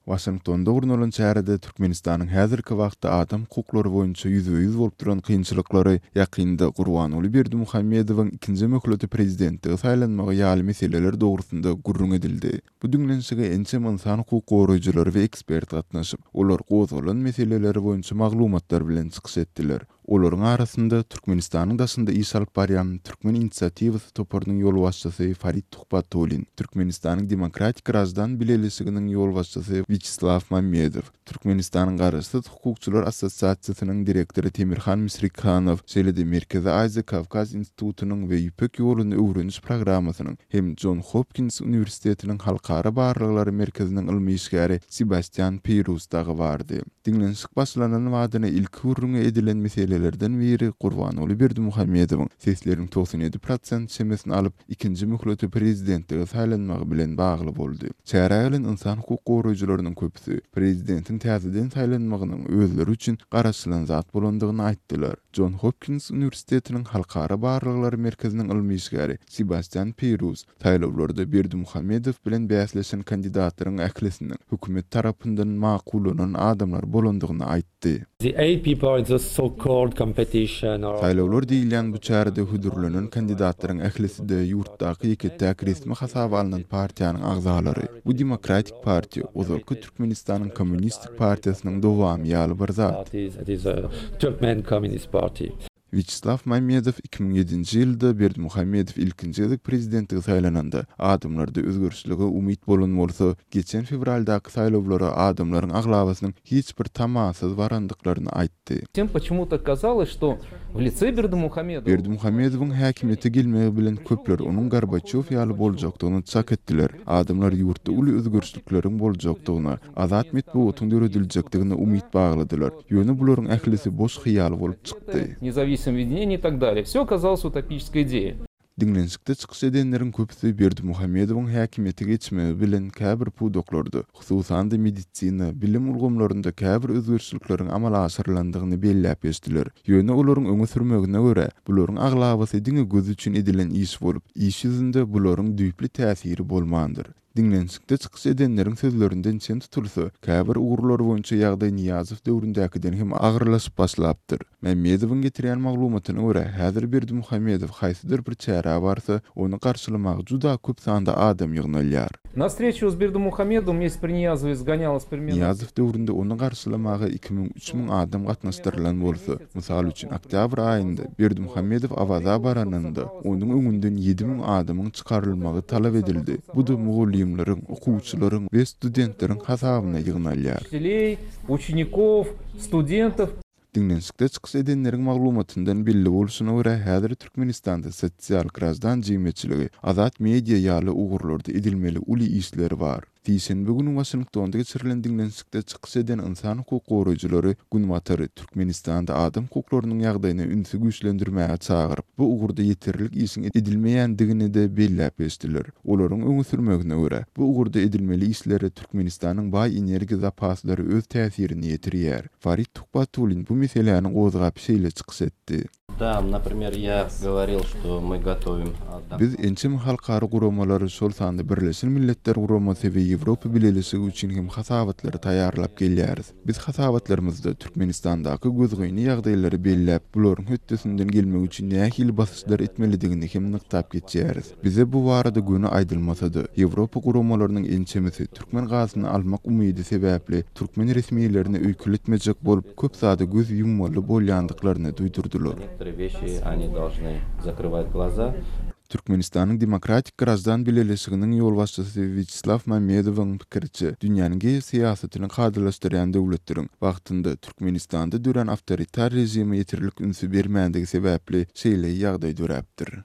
Waşingtonda gurnalan çärede Türkmenistanyň häzirki wagtda adam hukuklary boýunça ýüzbe-ýüz bolup duran kynçylyklary, ýakynda Gurbanguly Berdimuhamedowyň ikinji möhlete prezidentlige saýlanmagy ýaly meseleler dogrusynda gürrüň edildi. Bu diňlenişige ençeme ynsan hukuk goraýjylary we ekspert gatnaşyp, olar gozgalan meseleleri boýunça maglumatlar bilen çykyş etdiler. Olaryň arasynda Türkmenistanyň daşynda iş alyp barýan Türkmen inisiatiwasy toparynyň ýolbaşçysy Farid Tuhbatullin, Türkmenistanyň Demokratik graždan bileleşiginiň ýolbaşçysy Wýaçeslaw Mammedow, Türkmenistanyň Garaşsyz hukukçylar assosiasiýasynyň direktory Temirhan Misrikhanow, şeýle-de Merkezi Aziýa Kawkaz institutynyň we Ýüpek ýoluny öwreniş programmasynyň hem Jon Hopkins uniwersitetiniň Halkara barlaglary merkeziniň ylmy işgäri Sebastýan Peýrus dagy bardy. Diňlenişik başlanan badyna ilki gürrüňi edilen meselelerden biri Gurbanguly Berdimuhamedowyň sesleriň 97 prosent çemesini alyp, ikinji möhlete prezidentlige saýlanmagy bilen bagly boldy. Çärä gelen ynsan hukuk goraýjylarynyň köpüsi prezidentiň täzeden saýlanmagynyň özleri üçin garaşylan zat bolandygyny aýtdylar. Jon Hopkins uniwersitetiniň Halkara barlaglary merkeziniň ylmy işgäri Sebastýan Peýruz Saýlawlarda Berdimuhamedow bilen bäsleşen kandidatlaryň ählisiniň hökümet tarapyndan makullanan adamlar bolandygyny aýtdy. Saýlawlar diýilýän bu çärede hödürlenen kandidatlaryň ählisi-de ýurtdaky ýeke-täk resmi hasaba alnan partiýanyň agzalary. Bu Demokratik partiýa, ozalky Türkmenistanyň Kommunistik partiýasynyň dowamy ýaly bir zat. Wýaçeslaw Mamedow 2007-nji ýylda Berdimuhamedow ilkinji gezek prezidentlige saýlananda, adamlarda özgerişlige umyt bolan bolsa, geçen fewraldaky saýlawlara adamlaryň aglabasynyň hiç bir tamasyz barandyklaryny aýtdy. Berdimuhamedowyň häkimiýete gelmegi bilen köpler onuň Gorbaçýow ýaly boljakdygyny çak etdiler. Adamlar ýurtda uly özgerişlikleriň boljakdygyna, azat metbugatyň dörediljekdigine umyt bagladylar. Ýöne bularyň ählisi boş hyýal bolup çykdy. Diňlenişikde çykyş edenleriň köpüsi Berdimuhamedowyň häkimiýete geçmegi bilen käbir pudaklarda, hususan-da medisina, bilim ulgamlarynda käbir özgerişlikleriň amala aşyrylandygyny belläp geçdiler. Ýöne olaryň öňe sürmegine görä, bularyň aglabasy diňe göz üçin edilen iş bolup, iş ýüzünde bularyň düýpli täsiri bolmandyr. Diňlenişikde çykyş edenleriň sözlerinden çen tutulsa, käbir ugurlar boýunça ýagdaý Nyýazow döwründäkiden hem agyrlaşyp başlapdyr. Mämmedowyň getirýän maglumatyna görä, häzir Berdimuhamedow haýsydyr bir çärä barsa, ony garşylamaga juda köp sanda adam ýygnalýar. Na wstreçu s Berdimuhamedowym jest pri Niýazowe sgonýalось primerno. Nyýazow döwründe ony garşylamaga 2000, 3000 adam gatnaşdyrylan bolsa, mysal üçin, oktýabr aýynda Berdimuhamedow Awaza baranynda, onuň öňünden 7000 adamyň çykarylmagy talap edildi. Bu-da mugallymlaryň, okuwçylaryň we studentleriň hasabyna ýygnalýar. Učiteley, uçenikow, studentow. Diňlenişikde çykyş edenleriň maglumatyndan belli bolşuna görä, häzir Türkmenistanda sosial, graždan jemgyýetçiligi, azat media ýaly ugurlarda edilmeli uly işler bar. Sişenbe güni Waşingtonda geçirilen diňlenişikde çykyş eden ynsan hukuk goraýjylary Günbatary Türkmenistanda adam hukuklarynyň ýagdaýyna ünsi güýçlendirmäge çagyryp, bu ugurda ýeterlik işiň edilmeýändigini-de belläp geçdiler. Olaryň öňe sürmegine görä, bu ugurda edilmeli işlere Türkmenistanyň baý energiýa zapaslary öz täsirini ýetirýär. Farid Tuhbatullin bu meseläni gozgap şeýle çykyş etdi. Da, naprimer, ýa goworil, şto my gotowim Biz ençeme halkara guramalary, şol sanda Birleşen Milletler Guramasy we Ýewropa Bileleşigi üçin hem hasabatlary taýýarlap gelýäris. Biz hasabatlarymyzda Türkmenistandaky gözgyny ýagdaýlary belläp, bularyň hötdesinden gelmek üçin nähili basyşlar etmelidigini hem nygtap geçýäris. Bize bu barada göni aýdylmasa-da, Ýewropa guramalarynyň ençemesi türkmen gazyny almak umydy sebäpli türkmen resmilerine öýkeletmejek bolup, köp zada göz ýummaly bolýandyklaryny duýdurdylar. Türkmenistanyň Demokratik graždan bileleşiginiň ýolbaşçysy Wýaçeslaw Mamedowyň pikiriçe, dünýäniň geosyýasatyny kadalaşdyrýan döwletleriň wagtynda Türkmenistanda dörän awtoritar režime ýeterlik ünsi bermändigi sebäpli şeýle ýagdaý döräpdir.